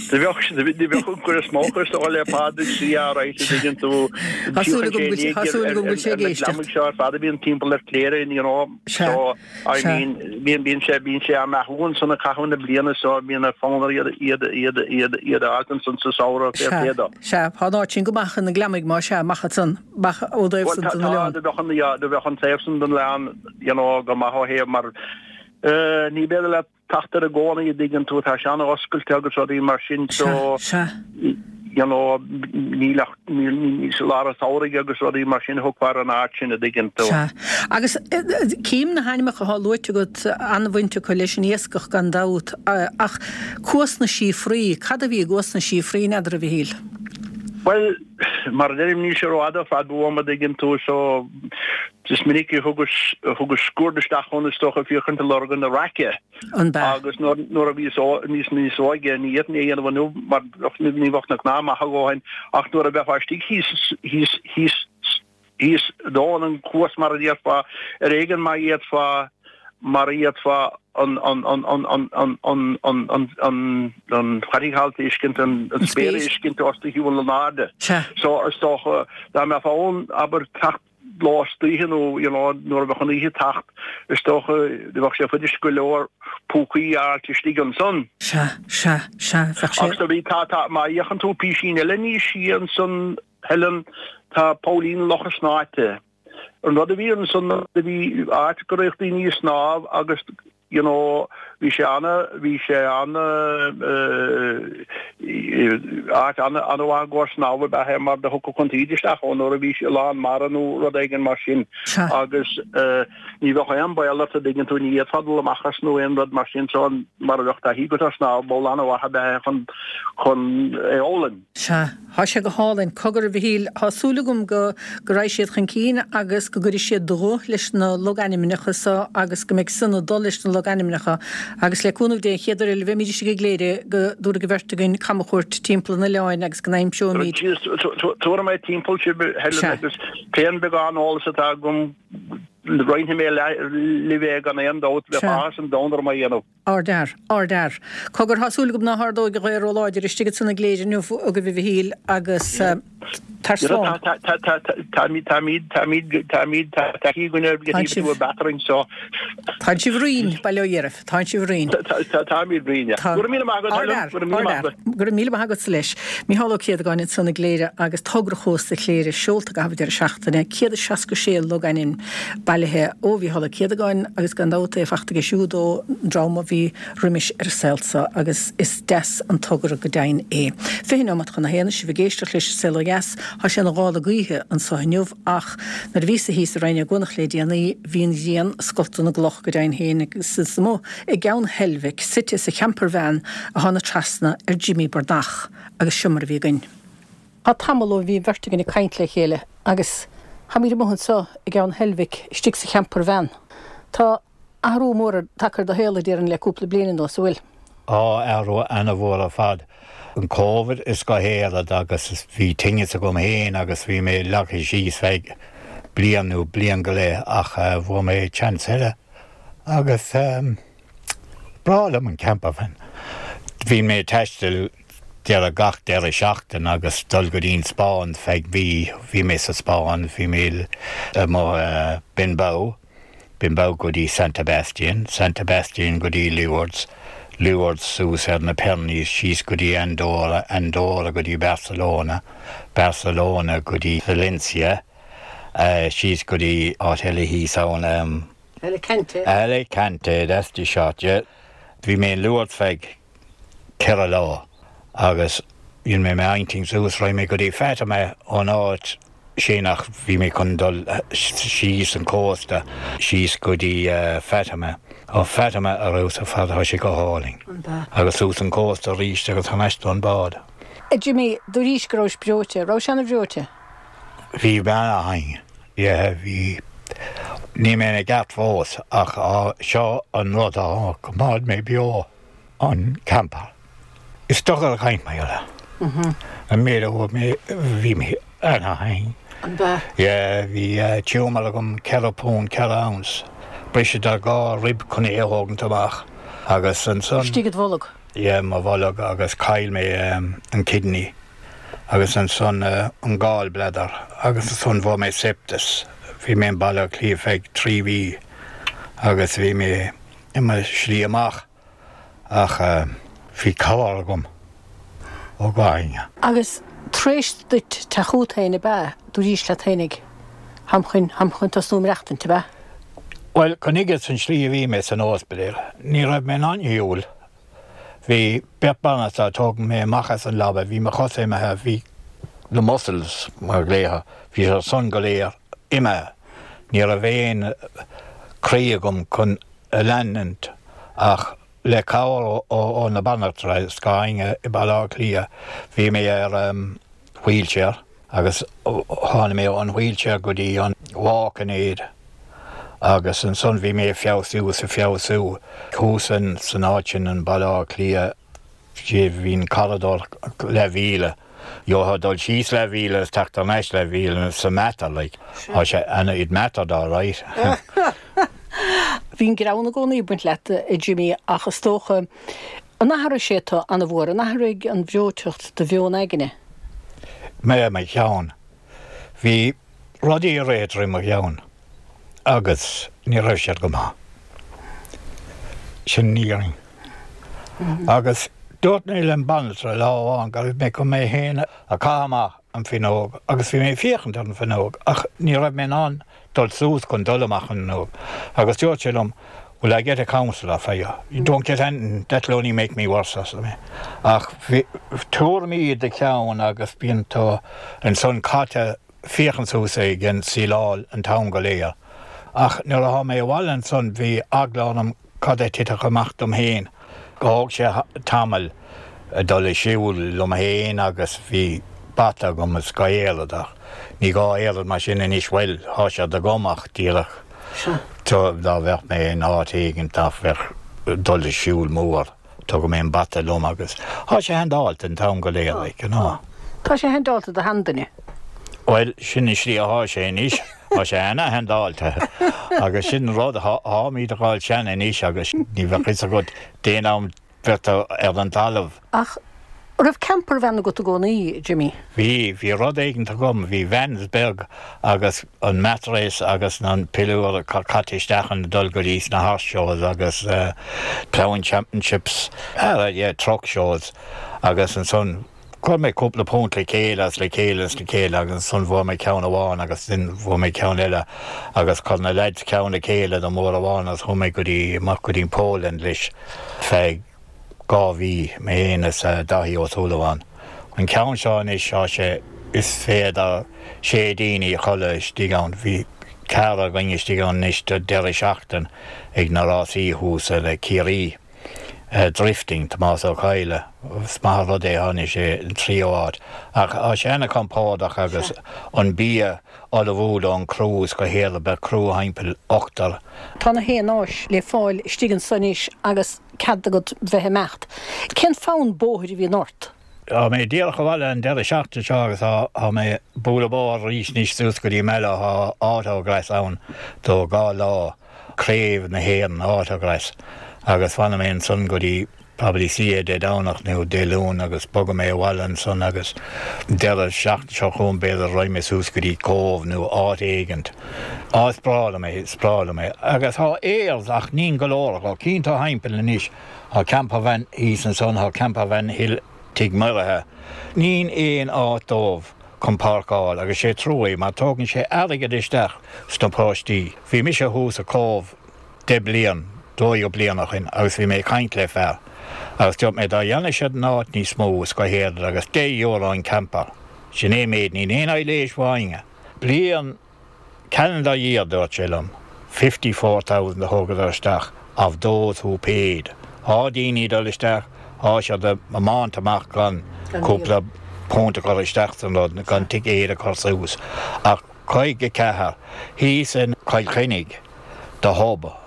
do bheadh, do bheadh an cuid is mó acu is dócha le Pádraig C. alright a dtuigeann tú. Tá súil agam go bhfuil, tá súil agam go bhfuil sé ag Na éisteacht. gliomaigh seo ar fad a bhíonn timpeall ar Chléire, you know, Sea, so I sea. mean, bíonn, bíonn sé, bíonn sé á mbeathú ansan i gcaitheamh na bliana so bíonn fonn air iad, iad, iad, iad, iad a fháilt ansan sa samhradh, fair Sea, play dó. sea, tá an áit sin go maith chun na gliomaigh, má sea, amach ansan, amach ó dtaobh Bhuel, san tá, den tá, oileán. do bheadh an, yeah, do bheadh an taobh san den oileán, you know, go maith ó thaobh mar, eh, ní b'fhéidir leat teacht air i gcónaí, a dtuigeann tú, tá sé an-oscailte agus rudaí mar sin so, Sea, sea. you know, níl ach, níl, níl, sa lár an tsamhraidh agus rudaí mar sin a thiocfá ar an áit sin, a dtuigeann tú. Sea. Agus cím na hainmneacha atá luaite agat, an-bhaint acu leis an iascach gan dabht, ach Cuas na Síofraí, cad a bhí i gCuas na Síofraí, n'fheadar, a Mhichíl? Bhuel, mar a deirim, níl sé rófhada ar fad uaim, a dtuigeann tú, so is minic a thugas, a thugas sciuird isteach ann is dócha féachaint ag lorg na raice. An b'ea? Agus nuair, nuair a bhíos ó, níos, níos óige, ní fhéadfainn é a dhéanamh inniu mar ní bheadh na cnámha maith a dhóthain, ach nuair a bheifeá istigh thíos, thíos, thíos, thíos domhan an chuas mar a déarfá, ar éigean má fhéadfá, mar a fhéadfá an an an an an an an an an an an charraig a fheiscint, an an spéir a fheiscint os do chionn in airde. Sea. So is dócha dá mbeifeá ann abair teacht lá istoíche nó you know nuair a bheadh an oíche ag teacht is dócha do bheadh sé fuirist go leor púcaí a fháilt istigh ansan. Sea, sea, sea, bheadh sé. Agus do bhí tá tá má fhéachann tú písín eile níos sia ansan Helen tá Poillín Locha Snáite. An rud a bhí ansan ná do bhí áit go raghadh daoine ag snámh agus you know bhí sé ana bhí sé ana eh áit ana ana mhaith i gcomhair snámha ab ea é mar do thiocfadh an taoide isteach ann nuair a bhí sé lán mara nó rud éigin mar sin Sea. agus eh ní bheadh aon baol ort a dtuigeann tú ní fhéadfá dul amach as nó aon rud mar sin so mara bheadh taithí agat ar snámh poll ana mhaith ab ea é chun chun é a fhoghlaim. Sea, thá sé go hálainn. Cogar, a Mhichíl, thá súil agam go go raghaidh siad chun cinn agus go gcuirfidh siad dlúth leis na logainmneacha so agus go mbeidh san ag dul leis na logainmneacha agus le cúnamh Dé an chéad uair eile a bheimid istigh i gCléire go dtabharfaidh an bheirt againn camchuairt timpeall an oileáin agus go n-aimseoimid Tabharfaidh mé timpeall sibh, Helen, Sea. agus pén beagán eolas atá agam roinnfidh mé libh é gan aon dabht, bheadh Sea. áthas an domhain orm é a dhéanamh. Ardfhear. Ardfhear. Cogar, thá súil agam ná hardóidh an ghaoth róláidir istigh ansan i gCléire inniu agaibh a Mhichíl agus. Tar slán. Táimid táimid táimid táimid taithí againn ar Tá sibh- battering so Tá sibh righin, bail ó Dhia oraibh, tá sibh righin. Táimid righin. Go raibh míle maith agat, go raibh míle maith agat. Go raibh míle maith agat leis. Mícheál Ó Céadagáin ansan i gCléire agus togra Chósta Chléire seolta i gcaitheamh deireadh seachtaine, céad is seasca sé logainm bailithe ó Mhícheál Ó Céadagáin agus gan dabht é fachta aige siúd ón dream a bhí roimis ar an saol seo agus is deas an togra go deimhin é. Fiche nóiméad chun a haon sibh ag éisteacht leis an Saol Ó Dheas, Tá sé ina ghála gaoithe anseo inniu ach nuair a bhíos-sa thíos i Rinn Ó gCuanach le déanaí bhí an ghrian ag scoltadh na gcloch go deimhin féin agus is amuigh i gCeann Heilbhic, suite sa champervan a thána trasna ar Jimmy Breathnach agus seo mar a bhí againn. Tá tamall ó bhí an bheirt againn ag caint le chéile agus táimid amuigh anseo i gCeann Heilbhic istigh sa champervan. Tá athrú mór tagtha ar do shaol déarfainn le cúpla bliain anuas an bhfuil. Á athrú an-mhór ar fad. An Covid is go héad agus bhí tinneas agam féin agus bhí mé leagtha síos feadh bliain nó bliain go leith ach uh, bhfuair mé chance eile agus um, breá liom an campervan. Bhí mé taisteal deireadh gach deireadh seachtain agus dul go dtí an Spáinn feadh mhí bhí mé sa Spáinn bhí mé mo uh, Bilbao, Bilbao go dtí San Sebastian, San Sebastian go dtí Lourdes, Lourdes suas ar na Pyrenees síos go dtí Andorra, Andorra go dtí Barcelona, Barcelona go dtí Valencia, uh, síos go dtí áit eile thíos ann um, Alicante. Alicante, that's the shot, yeah. Bhí mé in Lourdes feadh ceithre lá agus dhein mé m'intinn suas raghaidh mé go dtí Fatima ón áit sin ach bhí mé chun dul síos an cósta síos go dtí uh, Fatima. Ó Fatima a raibh fad tá sé go hálainn. Agus suas an cósta arís agus thar n-ais don bád. A Jimmy, dúraís go raibh breoite, raibh sé an-bhreoite? Bhí bean yeah, bhí ní mé i gceart fós ach á seo an rud a choimeád mé beo an camper. Is docha a chaint mé eile. An méid a mé bhí mé ana-thinn. An ba? Yeah, bhí uh, tumour agam ceithre punt ceithre ounce. Briseadh dhá rib chun é a thógaint amach agus ansan Istigh i do bholg. Yeah, mo bholg agus chaill mé um, an kidney agus ansan uh, an gallbladder agus ansan bhí mé sepsis. Bhí mé in Baile Átha Cliath feadh trí mhí agus bhí mé i mo shlí amach ach uh, bhí cabhair agam ó ghaine. Agus tar éis duit teacht chugat féin ab ea dúraís leat féinig táim chun táim chun tosnú maireachtaint ab ea. Well chuige an slí a bhí mé san ospidéal, ní raibh mé an shiúl. Bhí bebanna a tóg mé amach as an leaba, bhí mo chosa imithe bhí na muscles mar léthe, bhí sé san go léir imithe. Ní raibh aon croí agam chun a leanúint ach le cabhair ó na banaltra scainge i Baile Átha Cliath bhí mé ar um, wheelchair agus tháinig mé an wheelchair go dtí an walking aid. Agus ansan bhí mé feabhsú sa feabhsú thuas san áit sin an Baile Átha Cliath sé bhín corridor le mhíle. Jo dul síos le mhíle is teacht aníos le mhíle sa matter like. Tá sé ana it mattered all right. Bhí an greann i gcónaí ag baint leat a Jimmy ach is dócha an athraigh sé tú an-mhór an athraigh an bhreoiteacht do mheon aigne. Mé mo cheann. Bhí rudaí réidir mo cheann agus ní raibh siad go maith. Sin níring. Agus dúirt mé le banaltra lá amháin go raibh mé chun mé féin a chaitheamh amach an fhuinneog agus bhí mé féachaint ar an fhuinneog ach ní raibh mé an dul suas chun dul amach an fhuinneog. Agus dúirt sé liom, Will I get a counsellor for you? You don't get anything, that'll only make me worse arsa mé. Ach tuairimí i do cheann agus bíonn tú ansan caite féachaint suas ag an síleáil an t-am go léir. Ach nuair a tháinig mé abhaile ansan bhí eagla orm cad a thitfeadh amach dom féin. Thóg sé tamall dul i siúl liom féin agus bhí bata agam is gaéadach. Ní gá éad mar sin anois bhfuil tá sé agam ach díreach dá bheith mé in áit éigin tá bheith dul i siúl mór Tugadh mé an bata liom agus Tá sé handáilte an t-am go léir ná. Tá sé handáilte do sheanduine. Well sin is slí athá sé anois Tá sé ana-handáilte agus sin rud táimid ag dul sean anois agus ní bheadh a fhios agat d'aon am bheith ar an talamh. Ach An raibh campervan agat i gcónaí, Jimmy? Bhí, bhí rud éigint agam, bhí vans beag agus an mattress agus an piliúr caite isteach ann dul go dtí sna horse shows agus ploughing championships, yeah, truck shows agus ansan chuir mé cúpla punt le chéile as le chéile as le chéile agus ansan bhfuair mé ceann amháin agus sin bhfuair mé ceann eile agus chuir na lads ceann le chéile do mór amháin agus chuaigh mé go dtí amach go dtí Poland leis feadh dhá mhí mé féin is Daithí Ó Súilleabháin. An ceann seo anois tá sé is féidir sé daoine a chodladh istigh ann. Bhí ceathrar againn istigh ann anois do deireadh seachtain ag na rásaí thuas le Ciarraí. Drifting, Tomás Ó Cadhla, is maith an rud é tháinig sé an tríú háit. Ach tá sé ana-chompordach agus an bia ullmhú don criú is go héireann beidh criú thimpeall ochtar. Tá na haon áis le fáil istigh ansan anois agus cead agat bheith ag imeacht. Cén fonn bóthair a bhíonn ort? Tá mé díreach abhaile an deireadh seachtaine seo agus tá mé bualadh bóthar arís anois suas go dtí Mallow, tá autograss ann do dhá lá, Craobh na hÉireann autograss. Agus fanfaidh mé ansan go dtí probably C A Dé Domhnach nó Dé Luain agus bogfaidh mé abhaile ansan agus deireadh seachtain seo chugainn b'fhéidir raghaidh mé suas go dtí Cóbh nó áit éigint. Á is breá liom é, is breá liom é. Agus tá aires ach nín go leor acu. Cinnte tá thimpeall anois, tá campervan thíos ansan, tá campervan thall Tigh Mhuirithe. Nín aon áit dóibh chun páirceáil agus sé trua é mar tógann sé airgead isteach sna paróistí. Bhí mise thuas i Cóbh deich bliain, dó dhéag bliain ó shin agus bhí mé ag caint le fear agus dúirt mé dá dhéanadh siad an áit níos mó is go héireann agus deich euro an camper. Sin é méid, níl aon aidhléis bháine. Bliain calendar year dúirt sé liom, fifty four thousand a thógadar isteach of those who paid. Thá daoine ag dul isteach, thá siad ag tiomáint amach gan cúpla punt a chur isteach san rud, gan ticéad a chur suas. Ach caoga ceathair thíos in Cill Chainnigh, The Hub,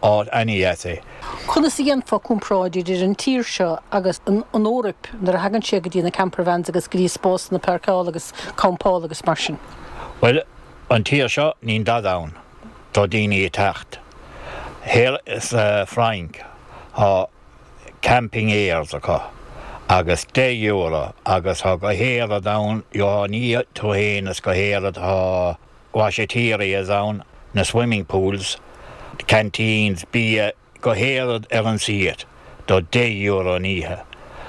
áit ana-dheas é. Conas a dhéanfá comparáid idir an tír seo agus an Eoraip nuair a thagann sé go dtí na campervans agus go dtí spásanna páirceála agus campála agus mar sin? Bhuel, an tír seo, níl dada ann do daoine ag teacht. Thiar sa Fhrainc, tá camping aires acu agus deich euro agus tá go héiread ann, gheobhthá ní tú fhéin is go héiread tá washaterias ann, na swimming pools, canteens, bia go héiread ar an suíomh do deich euro an oíche.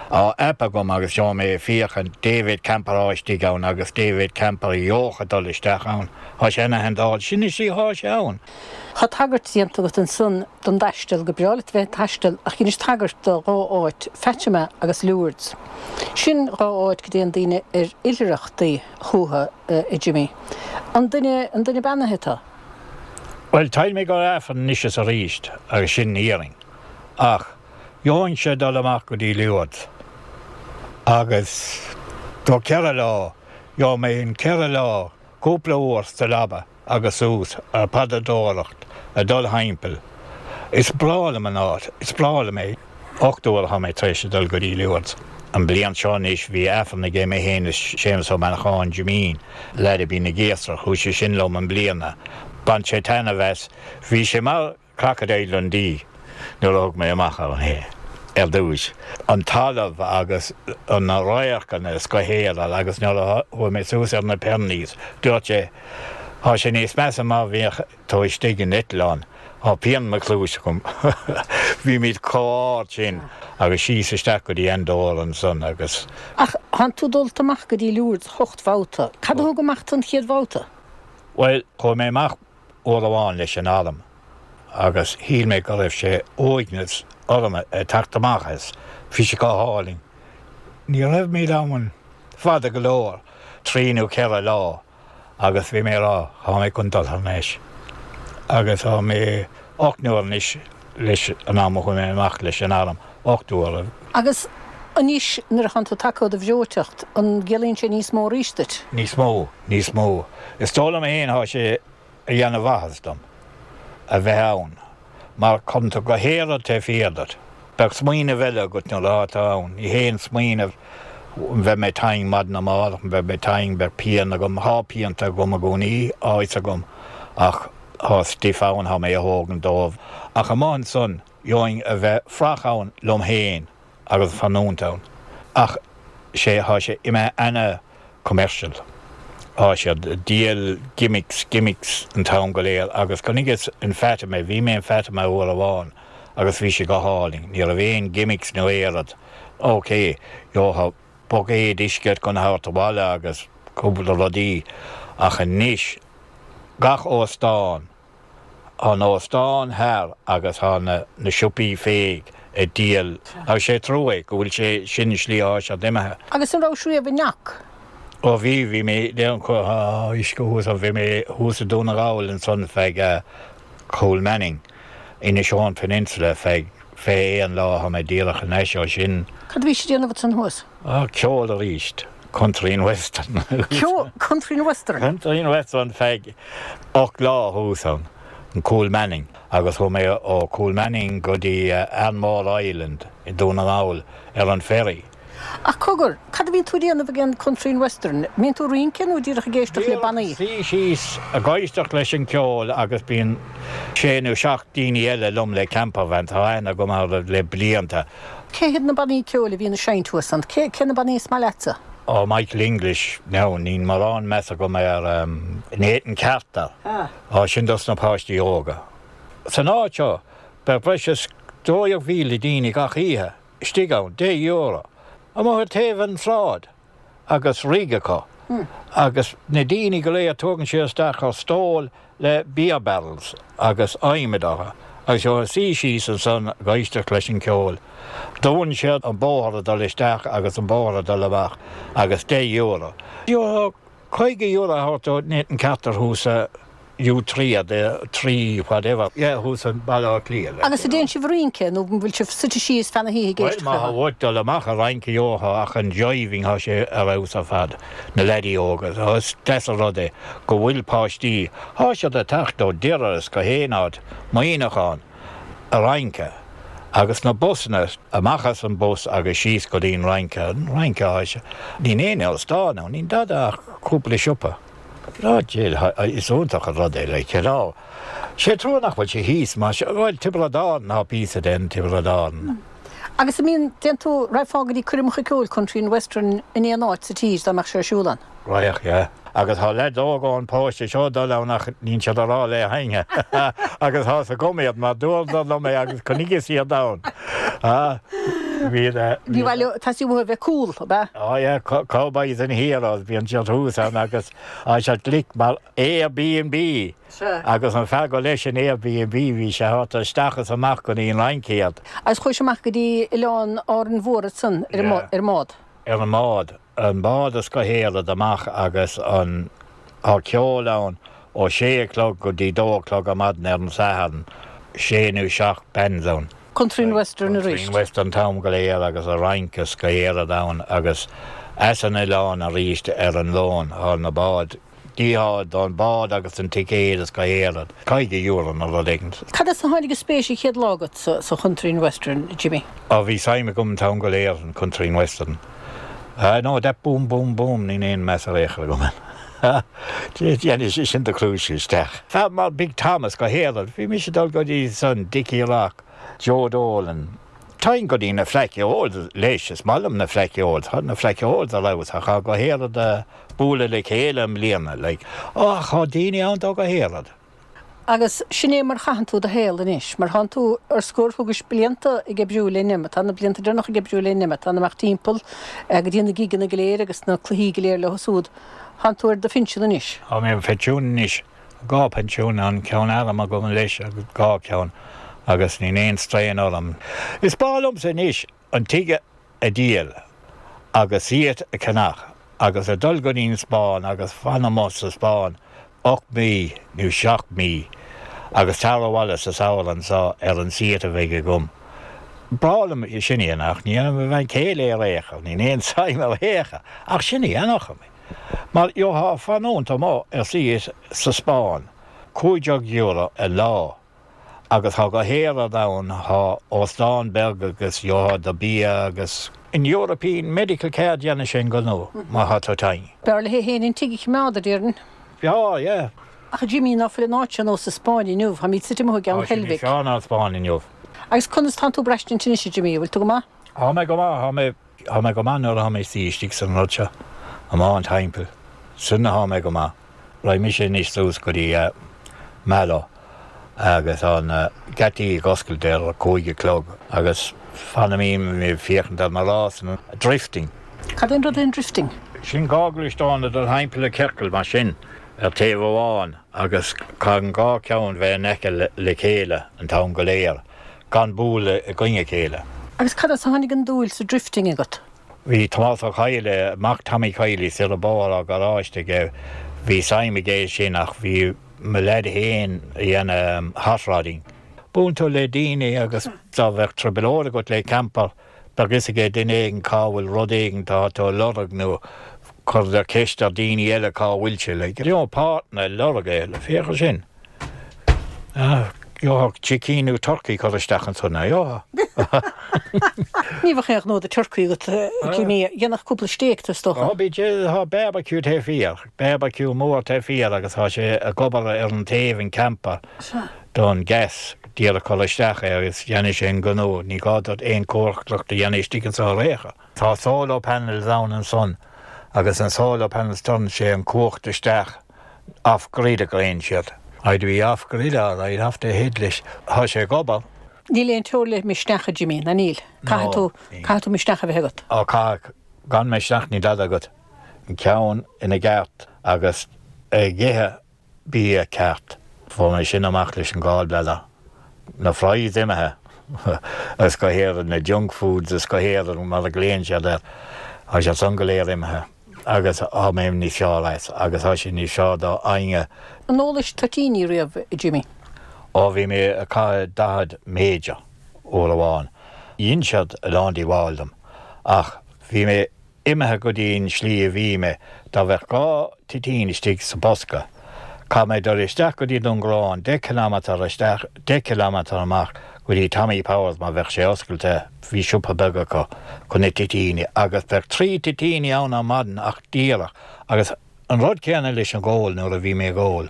Tá app agam agus gheobhaidh mé ag féachaint dé mhéad camper atá istigh ann agus dé mhéad camper a gheobhadh dul isteach ann. Tá sé ina handáil. Sin is í thá sé ann. Tá tagairt déanta agat ansan don dtaisteal, go breá leat bheith ag taisteal ach dheinis tagairt do dhá áit, Fatima agus Lourdes. Sin dhá áit go dtéann daoine ar oilithreachtaí chucu, a Jimmy. An duine, an duine beannaithe tú? Bhuel, téim go Aifreann anois is arís agus sin iarrainn. Ach gheobhainnse dul amach go dtí Lourdes agus do ceithre lá, gheobhaidh mé an ceithre lá cúpla uair sa leaba agus suas ar paidreadóireacht ag dul thimpeall. Is breá liom an áit, is breá liom é. Ocht uair atá mé tar éis a dul go dtí Lourdes. An bliain seo anois bhí Aifreann aige mé féin is Séamus Ó Manacháin, Jimín, leaid a bhí na gCéasar, chuaigh sé sin liom i mbliana. Bhain sé taitneamh as. Bhí sé mar Crocodile Dundee nuair a thug mé amach ann é ar dtús. An talamh agus na radharcanna is go héireann agus nuair a chuaigh mé suas ar na Pyrenees dúirt sé, Tá sé níos measa má bhíodh tú istigh in eitleán. Tá pian mo chluais agam. Bhímid chomh ard sin agus síos isteach go dtí Andorra ansan agus. Ach thánn tú dulta amach go dtí Lourdes ocht mbabhta. Cad a thug amach tú an chéad bhabhta? Bhuel, chuaigh mé amach uair amháin leis an arm agus shíl mé go raibh sé uaigneas orm ag teacht amach as. Bhí sé go hálainn. Ní raibh mé ann fada go leor, trí nó ceithre lá, agus bhí mé ag rá, tá mé chun dul thar n-ais. Agus tá mé ocht n-uair anois leis an am a chuaigh mé amach leis an arm, ocht uair. Agus anois nuair a thánn tú tagtha ó do bhreoiteacht, an gciallaíonn sé níos mó arís duit? Níos mó, níos mó. Is dóigh liom féin, tá sé a dhéanamh mhaitheas dom a bheith ann, mar cuireann tú go héiread taobh thiar díot. Bheadh smaoineamh eile agat nuair atá tú ann, ní haon smaoineamh an mbeidh mé tinn maidin amárach, an mbeidh mé tinn, beidh pian agam, thá pianta agam i gcónaí, á fhios agam, ach thá stuif ann, thá mé a thógaint dóibh. Ach amuigh ansan, gheobhainn a bheith frach ann liom féin agus fanúint ann. Ach sé thá sé imithe ana-commercial. Thá siad ag díol gimmicks, gimmicks an t-am go léir agus chonaiceas in Fatima, bhí mé in Fatima uair amháin agus bhí sé go hálainn, ní raibh aon gimmicks nó aon rud. Ok, gheofá buicéad uisce chun a thabhairt abhaile agus cúpla rudaí ach anois gach óstán, Tá an óstán thar agus tá na na siopaí féig ag díol agus sé trua é go bhfuil sé sin an slí atá siad imithe. Agus an rabhais riamh i nGeach? Ó bhí, bhí mé, uisce thuas ann, bhí mé thuas i Dún na nGall ansan feadh Coolmanning, Inishowen Peninsula feadh fiche aon lá, tá mé díreach anois ó sin. Cad a bhí sé ag déanamh ansan thuas? Á, ceol arís. Country and Western. Ceol, Country and Western? Country and Western feadh ocht lá thuas ann, in Coolmanning, agus chuaigh mé ó Coolmanning go dtí Arranmore Island i Dún na nGall ar an ferry. Ach cogar, cad a bhíonn tú ag déanamh ag an Country and Western? Mbíonn tú ag rince nó díreach ag éisteacht le bannaí? Suí síos ag éisteacht leis an ceol agus bíonn sé nó seacht daoine eile liom le campervan, tá aithne agam orthu le blianta. Cé hiad na bannaí ceoil a bhíonn ag seinnt thuas ann? Cé cé na bannaí is maith leatsa? Ó, Michael English, now, níl mórán meas agam ar Nathan Carter. Ó, sin dos na páistí óga. San áit seo, beidh breis is dó dhéag mhíle daoine gach oíche istigh ann, deich euro, amuigh ar taobh an tsráid agus rig acu agus na daoine go léir tógann siad isteach ar stól le beer barrels agus adhmad orthu agus gheofá suí síos ansan ag éisteacht leis an ceol. Dúnann siad an bóthar ag dul isteach agus an bóthar ag dul amach agus deich euro. Gheofá caoga euro a thabhairt do Nathan Carter thuas sa U trí a trí whatever, yeah, thuas i mBaile Átha Cliath, like. Agus an dtéann sibh ag rince nó an bhfuil sibh suite síos feadh na hoíche ag Bhuel, éisteacht má leo? thá uait dul amach ag rince gheofá ach an jiving thá sé ar fheabhas ar fad, na leaidí óga, is deas an rud é go bhfuil páistí, thá siad ag teacht ó Doire is gach aon áit, Muineachán, ag rince agus na busanna, amach as an bus agus síos go dtí an rince, an rince thá sé, níl aon óstán ann, níl dada ach cúpla siopa. Á, Jill, is iontach an rud é, like, you know. Sé trua nach bhfuil sé thíos, mar, bhuel, Tiobraid Árann, tá píosa den Tiobraid Árann. Agus an mbíonn, dtéann tú, raghfá go dtí coirmeacha ceoil Country and Western in aon áit sa tír dá mbeadh sé ar siúl ann? Raghadh, yeah. Agus tá leaids óga ón bparóiste seo ag dul ann ach níl siad ag rá le héinne. Agus tá's agam iad mar dúradar liom é agus chonaiceas iad ann. Ah, bhí, Bhí, bhuel, tá sí uathu a bheith cool, ab ea? Oh yeah, Cowboys and Heroes, bíonn siad thuas ann agus tá siad glic mar Airbnb. Sea. Agus an fear go leis an Airbnb, bhí sé thart isteach is amach go dtí an Fhrainc iad. Agus chuaigh sé amach go dtí Oileán Árainn Mhór ansan ar an Yeah. ar an mbád. Ar an mbád, an bád is go héalad amach agus an, tá ceol ann ó sé a chlog go dtí dó a chlog ar maidin ar an Satharn, sé nó seacht bands ann. Country and Western Country arís. and Western an t-am go léir agus ag rince is go héalad ann agus as an oileán arís ar an Luan thá na báid, díothá don bád agus an ticéad is go héalad. Caoga euro nó rud éigin. Cad as a tháinig an spéis an chéad lá agat sa sa Country and Western, Jimmy? Á bhí suim agam an t-am go léir an Country and Western. Ah no, that boom boom boom níl aon meas ar aon chor agam air. Dhéanfaidh sé sin do chluais isteach. Fear mar Big Thomas go héalad, bhí mise ag dul go dtí san Dickie Rock, Joe Dolan. Téim go dtí na Fleadh Cheoil leis, is maith liom na Fleadh Cheoil, tá na Fleadh Cheoil ar fheabhas ach tá go héalad ag bualadh le chéile i mbliana, like. Ach tá daoine ann dó go héalad. Agus sin é mar chaitheann tú do shaol anois, mar thánn tú ar scor, thugais blianta ag oibriú linne, tá na blianta deireanacha ag oibriú linne, tá amach timpeall go dtí na gigeanna go léir agus na cluichí go léir leo súd. Thánn tú ar do phinsean anois. Tá mé ar phinsean anois. Dhá phinsean, an ceann airm agam leis agus dhá cheann agus níl aon strain orm. Is breá liomsa anois an tigh a dhíol agus seat a cheannach agus a dul go dtí an Spáinn agus fan amuigh sa Spáinn ocht mí nó seacht mí agus tar abhaile sa samhradh anseo ar an seat a bheidh agam. Breá liom sin a dhéanamh ach ní dhéanfaidh mo bhean chéile ar aon chor, níl aon suim ar aon chor ach sin a dhéanfadh mé. Mar gheofá fanúint amuigh ar seat sa Spáinn, cúig déag euro an lá agus thá go héalad ann, thá óstán beag agus gheofá do bia agus an European Medical Card dhéanfaidh sé an gnó má thá tú tinn. B'fhearr léi féin an tigh a choimeád, a déarfainn. B'fhearr, yeah. Ach a Jimí, ná fuil an áit ar nós na Spáinne inniu, táimid suite amuigh i gCeann Tá sé níos Heilbhic. fearr ná an Spáinn inniu. Agus conas tánn tú ag braistint anois, a Jimí, an bhfuil tú go maith? Tá mé go maith, tá mé Tá mé go maith nuair atá mé suí istigh san rud seo, amach an timpeall. Sin atá mé go maith. Raghaidh mise anois suas go dtí Mallow agus an geataí ag oscailt ar a cúig a chlog agus fanaimid ag féachaint ar na rásanna. Drifting. Cad é an rud é an drifting? Sin dhá ghluaisteán ag dul thimpeall i ciorcal mar sin ar taobh amháin agus caithfidh an dhá cheann bheith in aice le chéile an t-am go léir, gan bualadh i gcoinne a chéile. Agus cad as a tháinig an dúil sa drifting agat? Bhí Tomás Ó Cadhla, mac Tommy Kiely, soir an bóthar á garáiste aige, bhí suim aige sin ach bhí mo leaid féin a dhéanamh hot rodding. Buaileann tú le daoine agus dá bheadh trioblóid agat le camper, bheadh fhios aige duine éigin cá bhfuil rud éigin tá tú a lorg nó cuirtear ceist ar daoine eile cá bhfuil sé, like, you know, páirteanna ag lorg é, féach air sin. Ah, gheobhadh sicín nó turcaí cur isteach ansan, gheobhadh. Ní bheadh aon ghnó do turcaí agat, Jimmy, dhéanfadh cúpla stéig tú is dócha. Ó, bí, tá barbecue taobh thiar, barbecue mór taobh thiar agus tá sé ag obair ar an taobh an camper don gas díreach cur isteach é agus dhéanfaidh sé an gnó, ní gá duit aon cócaireacht a dhéanamh istigh anso ar aon chor. Tá solar panels ann ansan agus an solar panels tugann sé an cumhacht isteach off grid a glaonn siad. I'd be off grid all right, off the head leis. Tá sé ag obair. Níl aon teora le misneach, a Jimmy, ná níl? Caithfidh tú, caithfidh tú misneach a bheith agat. Ó caithfidh, gan misneach níl dada agat. An ceann ina gceart agus ag ithe bia ceart. Fuair mé sin amach leis an gallbladder. Na fries imithe agus go háirithe na junk foods is go háirithe mar a glaonn siad air. Tá siad san go léir imithe agus tá mé níos fearr as agus tá sé níos fearr do éinne. An ólais toitíní riamh, a Jimmy? Ó bhí mé ag caitheamh daichead major uair amháin. Dhein siad a lán díobháil dom ach bhí mé imithe go dtí an slí a bhí mé, dá bheadh dhá toitín istigh sa bosca, caithfidh mé dul isteach go dtí Dún Garbhán, deich kilometre isteach, deich kilometre amach go dtí Tommy Powers má bheadh sé oscailte, bhí siopa beag acu chun na toitíní agus bheadh trí toitíní ann ar maidin ach díreach agus an rud céanna leis an gól nuair a bhí mé ag ól,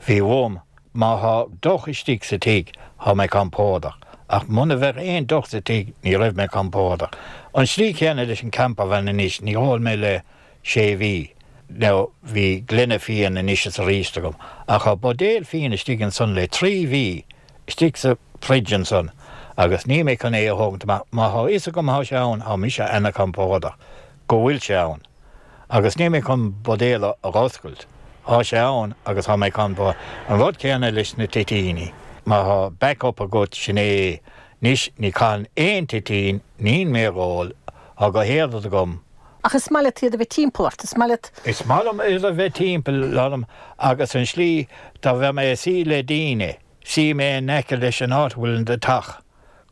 bhí uaim má thá deoch istigh sa tigh thá mé compordach ach muna bheadh aon deoch sa tigh ní raibh mé compordach. An slí chéanna leis an campervan anois, ní ól mé le sé mhí nó bhí gloine fíon anois is arís agam ach thá buidéal fíon istigh ansan le trí mhí istigh sa fridge ansan agus níl mé chun é a thógaint amach, má thá fhios agam thá sé ann thá mise ana-chompordach go bhfuil sé ann agus níl mé chun buidéal a dh'oscailt, thá sé ann agus thá mé compordach. An rud céanna leis na toitíní, má thá back up agat sin é é, anois ní chaithfinn aon toitín, níl mé ag ól, thá go héad agam. Ach is maith leat iad a bheith timpeall ort, is maith leat. Is maith liom iad a bheith timpeall orm agus an slí dá bheadh mé ag suí le daoine, suífidh mé in aice leis an áit a bhfuil an deatach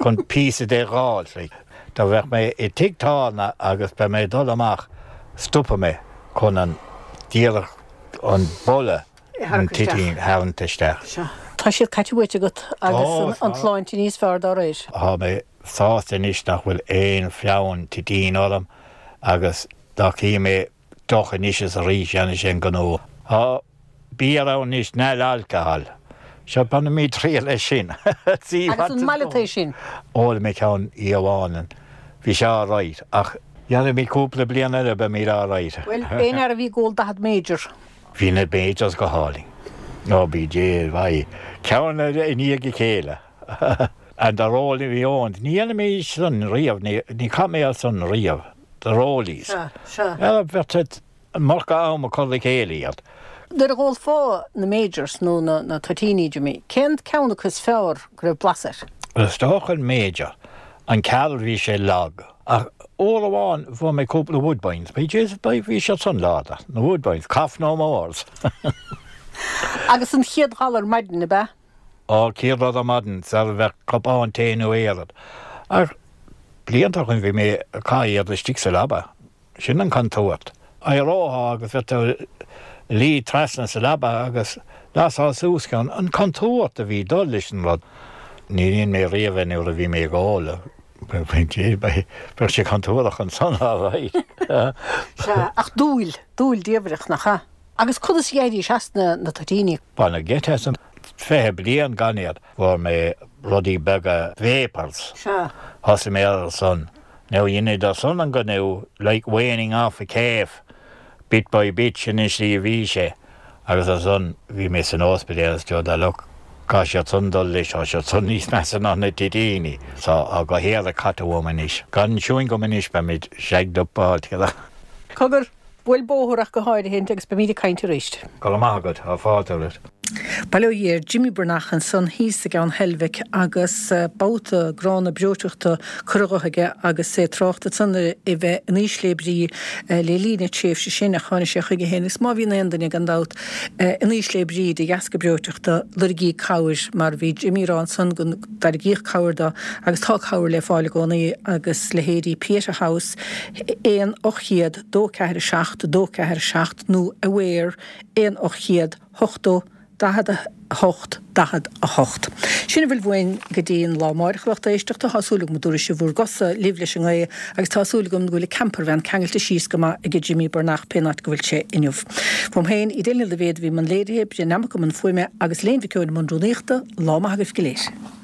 chun píosa de dh'fháilt, like. Dá bheadh mé i tigh tábhairne agus beidh mé ag dul amach, stopfaidh mé chun an, díreach an boladh an toitín a tharraingt isteach. Sea. Tá siad caite uait agat agus an tsláinte níos fearr dá réir. Tá mé sásta anois nach bhfuil aon fonn toitín orm agus dá gcífeadh mé deoch anois is arís dhéanfaidh sé an gnó. Tá beer ann anois neil alcohol. Seo bainfimid triail as sin. Agus an maith leat é sin? Ól mé ceann oíche amháin and bhí sé alright ach dhéanfaimid cúpla bliain eile beimid alright. Bhuel, aon fhear a bhí ag ól daichead major. Bhí na majors go hálainn. Ó bí Dé, bhí ceann i ndiaidh a chéile. And the rolling my own. Ní dhéanfaidh mé san riamh, ní chaith mé as san riamh. The rollies. Sea, sea. Bheadh an iomarca am ag cur le chéile iad. Nuair a dh'ólfá na majors nó na toitíní, Jimmy, cén ceann acu is fearr go raibh blas air? Is dócha an major. An Carl bhí sé lag. Ach uair amháin fuair mé cúpla Woodbines. Bhí Jesus, bhí siad san láidir. Na Woodbines, cough no mores. Agus an chéad ghal ar maidin, ab ea? Ó, chéad rud ar maidin, sar a bheadh cupán tae nó aon rud. Ach blianta ó shin bhí mé ag caitheamh iad istigh sa leaba. Sin an contúirt. Éireofá agus bheadh tú ag luí trasna sa leaba agus lasfá suas ceann. An contúirt a bhí ag dul leis an rud. Ní dhein mé riamh é nuair a bhí mé ag ól. Bheadh sé contúirteach ansan alright. Sea, ach dúil, dúil diamhrach, nach ea? Agus conas a d'éirís as na toitíní? Baineadh geit asam. Fiche bliain gan iad. Fuair mé rudaí beaga, vapors. Sea. Thosaigh mé ar san. Now dheineadar san an gnó like weaning off a calf bit by bit sin an slí a bhí sé agus ansan bhí mé san ospidéal is dúradar look caithfidh siad san dul leis tá siad san níos measa ná na toitíní. So tá go héag caite uaim anois. Gan chewing gum anois beimid shagged up altogether. Cogar, buail bóthar ach go háirithe agus beimid ag caint arís. Go raibh maith agat, tá fáilte romhat. Bail ó Dhia ar Jimmy Breathnach ansan thíos i gCeann Heilbhic agus babhta gránna breoiteachta curtha dhe aige agus é ag trácht ansan ar é bheith in ísle brí le linn na tréimhse sin ach tháinig sé chuige féin agus má bhíonn aon duine gan dabht in ísle brí de dheasca breoiteachta lorgaígí cabhair mar bhí Jimmy ag rá ansan go dtairgíodh cabhair dó agus tá cabhair le fáil i gcónaí agus leithéidí Pieta House aon ocht chéad dó ceathair a seacht dó ceathair a seacht nó Aware aon ocht chéad ochtó daichead a hocht daichead a hocht. Sin a bhfuil uainn go dtí an lá amáireach a lucht éisteachta. Tá súil agam go dtabharfaidh sibh bhur gcosa libh leis an ngaoth agus tá súil agam go bhfuil an campervan ceangailte síos go maith ag Jimmy Breathnach pén áit go bhfuil sé inniu. Uaim féin, Edel Ní Dhaibhéid a bhí i mbun léirithe, Brian Nammock i mbun fuaime agus Léan Mhic Eoin i mbun rúnaíochta, lá maith agaibh go léir.